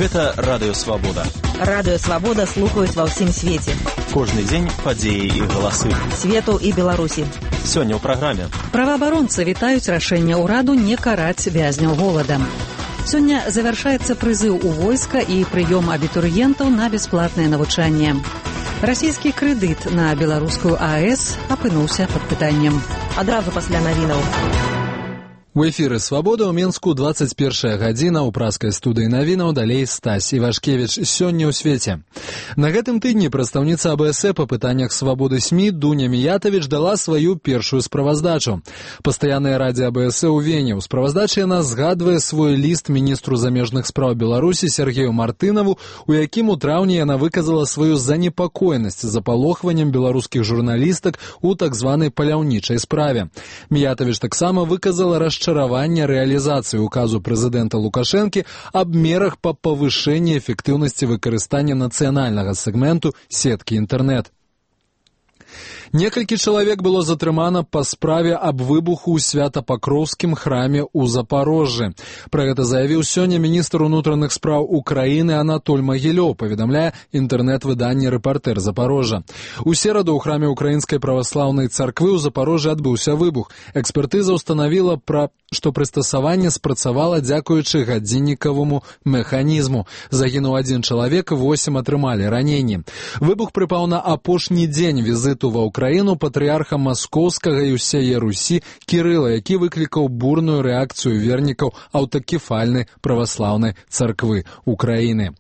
Гэта Радыё Свабода. Радыё Свабода слухаюць ва ўсім свеце. Кожны дзень падзеі і галасы. Свету і Беларусі. Сёння ў праграме. Праваабаронцы вітаюць рашэнне ўраду не караць вязняў голадам. Сёння завяршаецца прызыў у войска і прыём абітурыентаў на бясплатнае навучанне. Расійскі крэдыт на беларускую АЭС апынуўся пад пытаннем. Адразу пасля навінаў. У эфіры «Свабода» ў Мінску 21 гадзіна, ў праскай студыі навінаў далей Стась Івашкевіч. Сёння ў свеце. На гэтым тыдні прадстаўніца АБС па пытаннях свабоды СМІ Дуня Міятавіч дала сваю першую справаздачу. Пастаянная радзе АБС у Вене. У справаздачы яна згадвае свой ліст міністру замежных спраў Беларусі Сергею Мартынаву, у якім у траўні яна выказала сваю занепакоенасць запалохваннем беларускіх журналістак у так званай паляўнічай справе. Міятавіч таксама выказала расчараванне рэалізацыі указу прэзідэнта Лукашэнкі аб мерах па павышэнні эфектыўнасці выкарыстання нацыянальнага сегменту сеткі інтэрнэт. Некалькі чалавек было затрымана па справе аб выбуху ў Свята-Пакроўскім храме ў Запарожжы. Пра гэта заявіў сёння міністр унутраных спраў Украіны Анатоль Магілёў, паведамляе інтэрнэт-выданне «Рэпартэр Запарожжа». У сераду ў храме Украінскай праваслаўнай царквы ў Запарожжы адбыўся выбух. Экспертыза ўстанавіла, што прыстасаванне спрацавала дзякуючы гадзіннікаваму механізму. Загінуў 1 чалавек, 8 атрымалі раненні. Выбух прыпаў на апошні дзень візіту ва Украіну патрыярха Маскоўскага і ўсяе Русі Кірыла, які выклікаў бурную рэакцыю вернікаў аўтакефальнай праваслаўнай царквы Украіны.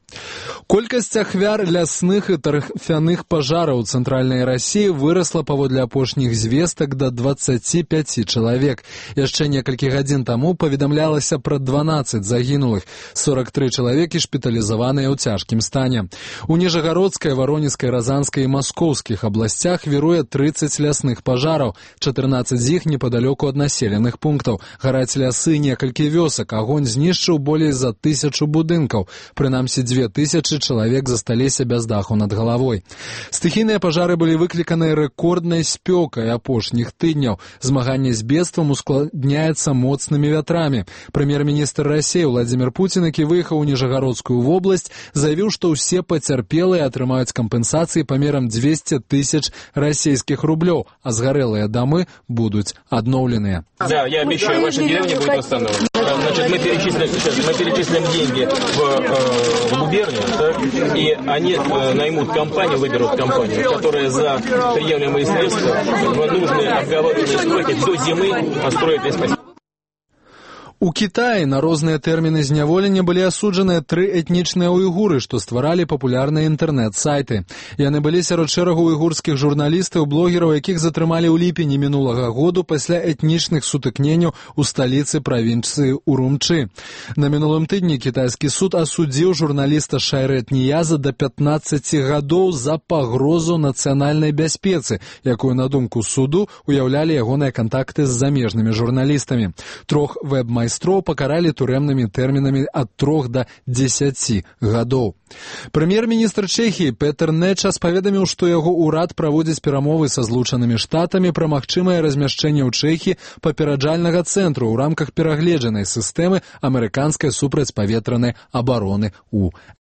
Колькасць ахвяр лясных і тарфяных пажараў у цэнтральнай Расіі вырасла паводле апошніх звестак да 25 чалавек. Яшчэ некалькі гадзін таму паведамлялася пра 12 загінулых, 43 чалавекі шпіталізаваныя ў цяжкім стане. У Ніжагародскай, Варонежскай, Разанскай і Маскоўскіх абласцях віруе 30 лясных пажараў, 14 з іх непадалёку ад населеных пунктаў. Гараць лясы некалькі вёсак, агонь знішчыў болей за 1000 будынкаў. Прынамсі 2000 чалавек засталіся без даху над галавой. Стыхійныя пажары былі выкліканыя рэкорднай спёкай апошніх тыдняў. Змаганне з бедствам ускладняецца моцнымі вятрамі. Прэм'ер-міністр Расіі Владзімір Пуцін, які выехаў у Ніжагародскую вобласць, заявіў, што ўсе пацярпелыя атрымаюць кампенсацыі памерам 200 000 российских рублёў, а сгорелые домы будут обновлены. Да, я обещаю, ваша деревня будет восстановлена. Значит, мы перечислим деньги в губернию, да, и они наймут компанию, выберут компанию, которая за приемлемые средства в нужные обговоренные сроки до зимы построит весь поселок. У Кітаі на розныя тэрміны зняволення былі асуджаныя 3 этнічныя уйгуры, што стваралі папулярныя інтэрнэт-сайты. Яны былі сярод шэрагу уйгурскіх журналістаў, блогераў, якіх затрымалі ў ліпені мінулага году пасля этнічных сутыкненняў у сталіцы правінцыі Урумчы. На мінулым тыдні кітайскі суд асудзіў журналіста Шайрэт Ніяза да 15 гадоў за пагрозу нацыянальнай бяспецы, якую, на думку суду, уяўлялі ягоныя кантакты з замежнымі журналістамі. 3 вэб-майстроў пакаралі турэмнымі тэрмінамі ад 3 да 10 гадоў. Прэм'ер-міністр Чэхіі Петер Нечас паведаміў, што яго ўрад праводзіць перамовы са Злучанымі Штатамі пра магчымае размяшчэнне ў Чэхіі папераджальнага цэнтру ў рамках перагледжанай сістэмы амерыканскай супрацьпаветранай абароны ў